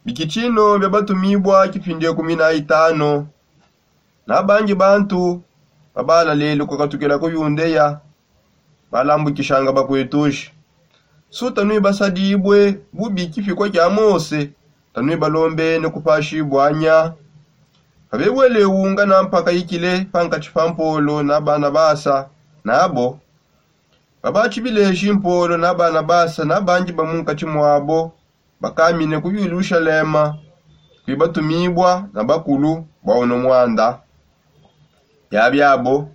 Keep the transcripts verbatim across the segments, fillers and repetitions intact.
Bikitshino bia batumibua kipindi ekumi na itano. Na bangi bantu babalalele kukatukila ku yundeya balambukishanga bakuetushi. Su tanuibasadibue bubi kipikua kia mose, tanuibalombene kupashibua nya. Pabebwele unga na mpaka ikile pankatshi pa mpolo na banabasa nabo. Babatshibileshi mpolo na banabasa na bangi ba munkatshi muabo bakamine ku yelushalema, kuibatumibua na bakulu bua uno muanda. Biabiabo,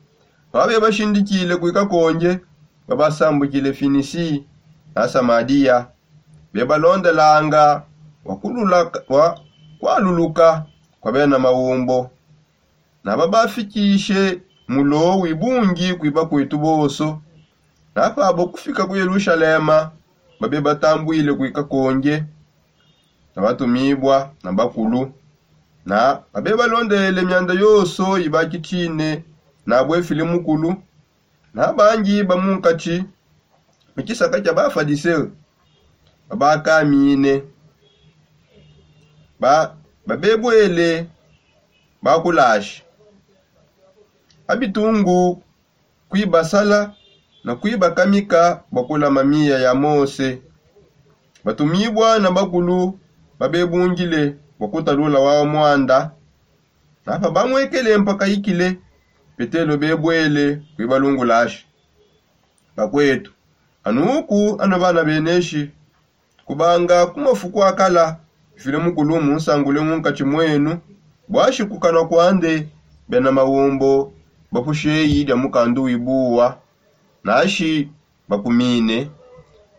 babe bashindikile kuikakonge, babasambukile finisi na samadia, bebalondelanga wa kualuluka kwa bena maumbo. Na babafikishe mulo wibungi kuiba kuetu bonso. Na pabo kufika ku yelushalema, babe batambuile kuikakonge na batumibua na bakulu, na babe balondele mianda yonso ibakitshine nabue file mukulu. Na bangi ba munkatshi mu tshisaka tshia bafadiseo babakamine, babebwele bakulasha abitungu kuibasala na kuibakamika bua kulama miya ya mose. Batumibua na bakulu babebungile bua kutalula wau muanda. Na pabamuekele mpaka ikile, petelo bebwele kuibalungulasha. Bakuetu, anuku anu bana beneshi, kubanga ku mafuku akala, file mukulu munsangule munkatshi muenu, buashi kukanua kuande bena maumbo bapusheyi dia mukandu wibuwa, nashi bakumine.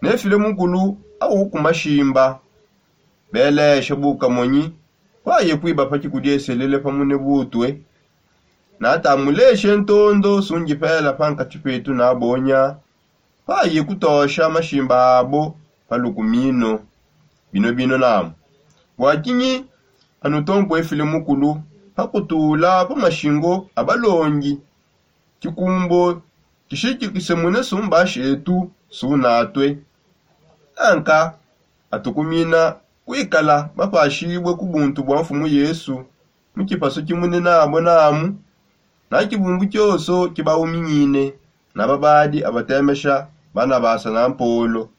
Ne file mukulu au ku mashimba belesha bukamonyi, paye kuiba pa kikudieselele pamune butue. Natamuleshe ntondo sungipela pankatshi petu na bonya, paye kutosha mashimba abo pa lukumino. Bino bino namu, bua kinyi anutompuefile mukulu pa kutula pa mashingo a balongi? Kikumbo kishikikise mune sumba shetu sunatue. Anka atukumina kuikala bapashibue ku buntu bua mfumu yesu mu kipasu kimunene abo namu. Na kibumbu kionso kibauminyine na babadi abatemesha banabasa na mpolo,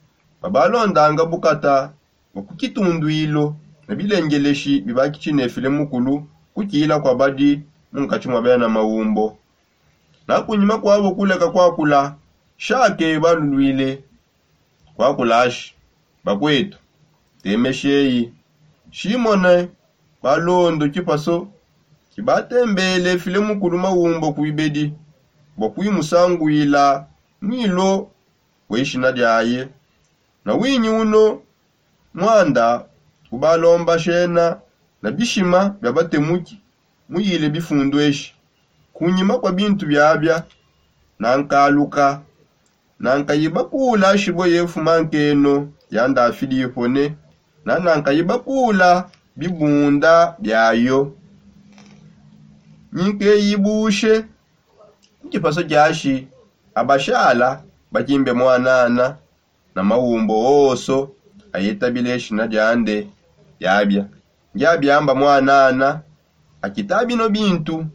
babalondanga bukata bua ku kitunduilo na bilengeleshi bibakitshi nefile mukulu kukila kwa badi munkatshi mua bena maumbo. Na kunyima kuabo kuleka kuakula, shake baluluile kuakulashi. Bakuetu, temesheyi shimone balondo kipaso kibatembele file mukulu maumbo kuibedi bua kuimusanguila mwilo we ishina diaye. Na winyi uno muanda ubalomba shena na bishima bia batemuki muyile bifundu eshi. Kunyima kua bintu biabia nankaluka, nankayi bakula shibue ye mfuma nkeno ya ndafidi ipone, na nankayi bakula bibunda biayo. Nyinkeyi bushe ku kipaso kiashi abashala bakimbe mwanana na maumbo onso ayetabile eshina diande diabia. Ndiabiamba mwanana akita bino bintu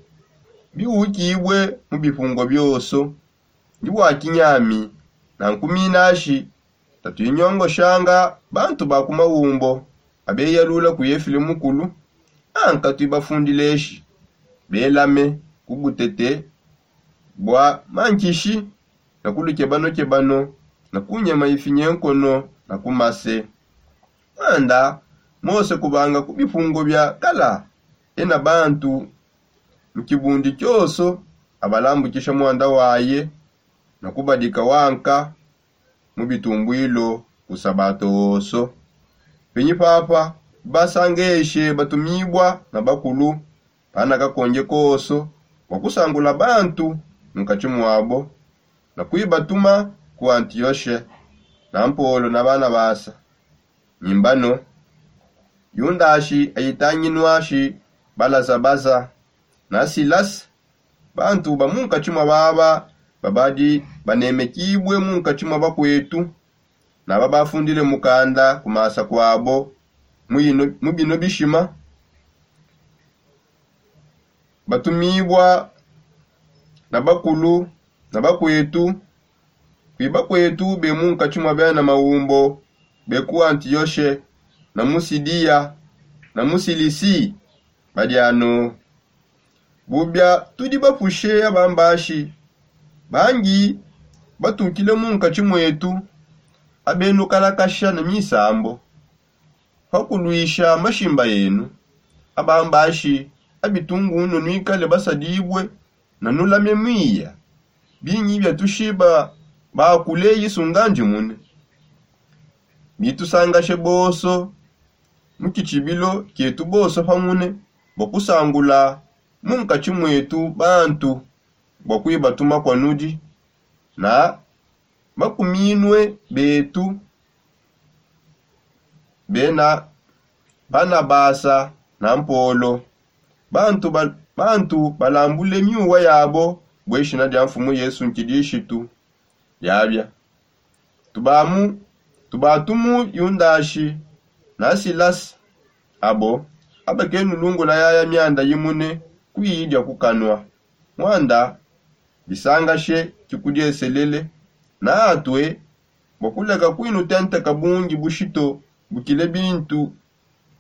biukibue mu bipungo bionso. Ndi bua kinyami nankuminashi tatuinyongoshanga bantu ba ku maumbo abeyalula ku yefile mukulu. Anka tuibafundileshi belame ku butete bua mankishi na ku lukebanokebano na ku nyema ifinyenkono na ku mase. Muanda mose kubanga ku bipungo bia kala ena bantu mu kibundi kionso abalambukisha muanda waye na kubadika wanka mu bitumbuilo ku sabato onso. Penyi papa basangeshe batumibua na bakulu panakakonge konso bua kusangula bantu munkatshi muabo na kuibatuma ku antioshe na mpolo na banabasa. Nyimbano yundashi ayitanginuashi balazabaza na silasa bantu ba munkatshi mua baba babadi banemekibue munkatshi mua bakuetu na babafundile mukanda ku masa kuabo. mu bino bishima batumibua na bakulu na bakwetu. Kwiba kwetu be mu nkatshi mua bena maumbo be ku antiyoshe na mu sidiya na mu silisi badi ano. Bubia tudi bapushe abambashi bangi batukile mu nkatshi mwetu abenukalakasha na misambo pa kuluisha mashimba enu. Abambashi abitungu nunwikale basadibue na nulame mwiya binyi biatushiba bakule yisunga ndimune. Bitusangashe bonso mu kitshibilo kietu bonso pamune bua kusangula mu nkatshi mwetu bantu bua kuibatuma kua nudi na bakuminue betu bena banabasa na mpolo bantu balambule miuwa yabo bue shina dia mfumu yesu nkidishitu. Yabia tubatumu yundashi na silasi abo abakenulungula yaya mianda yimune kuyi dia kukanua muanda bisangashe kikudieselele na atue bua kuleka kuinutenteka bungi bushito bukile bintu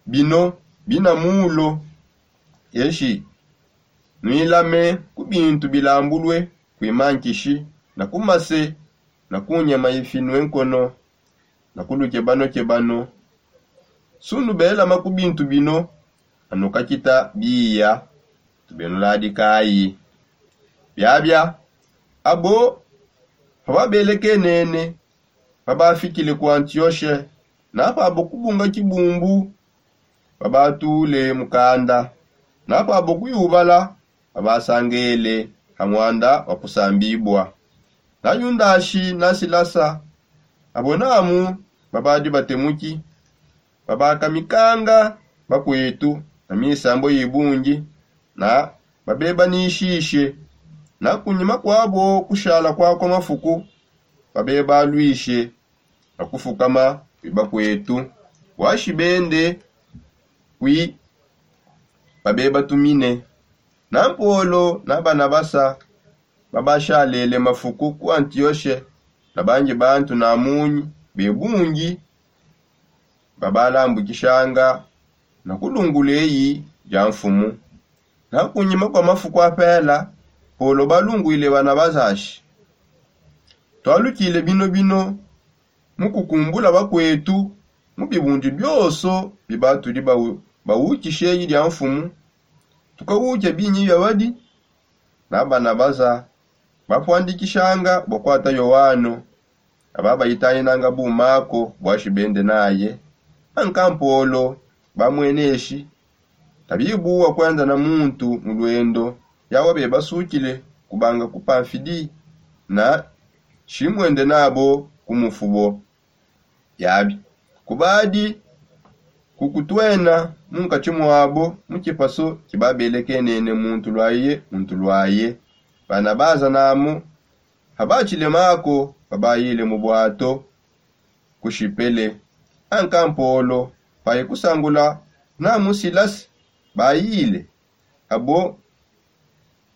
bino bina mulo. Eshi nuilame ku bintu bilambulue kuima nkishi na ku mase na ku nyama ifinue nkono na ku lukebanokebano. Sunubelama ku bintu bino anukakita biya tubenuladikayi. Biabia abo pababelekenene pabafikile ku antioshe na pabo kubunga kibumbu babatule mukanda na pabo kuyubala babasangele ha muanda wa kusambibua. Na yundashi na silasa abo namu babadi batemuki babakamikanga bakuetu na misambo ibungi na babebanishishe na kunyima kuabo kushala kuakua mafuku babebaluishe na kufukama kwi bakuetu buashi bende kwi babebatumine. Na mpolo na banabasa babashalele mafuku ku antioshe na bangi bantu na munyi bebungi babalambukishanga na kulungula eyi dia mfumu. Na kunyima kua mafuku apela polo balunguile banabasa ashi tualukile binobino mu kukumbula bakuetu mu bibundi bionso bibatudi bawukishe eyi dia mfumu tukawuke binyi biabadi. Na banabasa bapuandikishanga bua kuata yoano aba bayitayinanga bu mako buashi bende naye. Anka mpolo bamueneshi tabibuwa kuenda na muntu mu luendo yawa bebasukile kubanga ku pamfidi na shimuende nabo ku mufubo. Yabi kubadi kukutuena mu nkatshi muabo mu tshipaso tshibabelekenene muntu luaye muntu luaye. Bana baza namo habatshile mako babayile mu buato ku shipele. Anka mpolo paye kusangula namo silasi bayile abo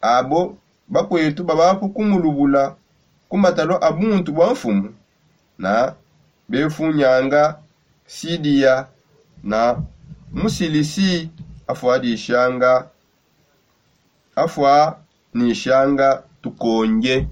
abo bakuetu babapu kumulubula ku matalo a buntu bua mfumu na befunyanga sidiya na musilisi afuadishanga afuanishanga tukonge.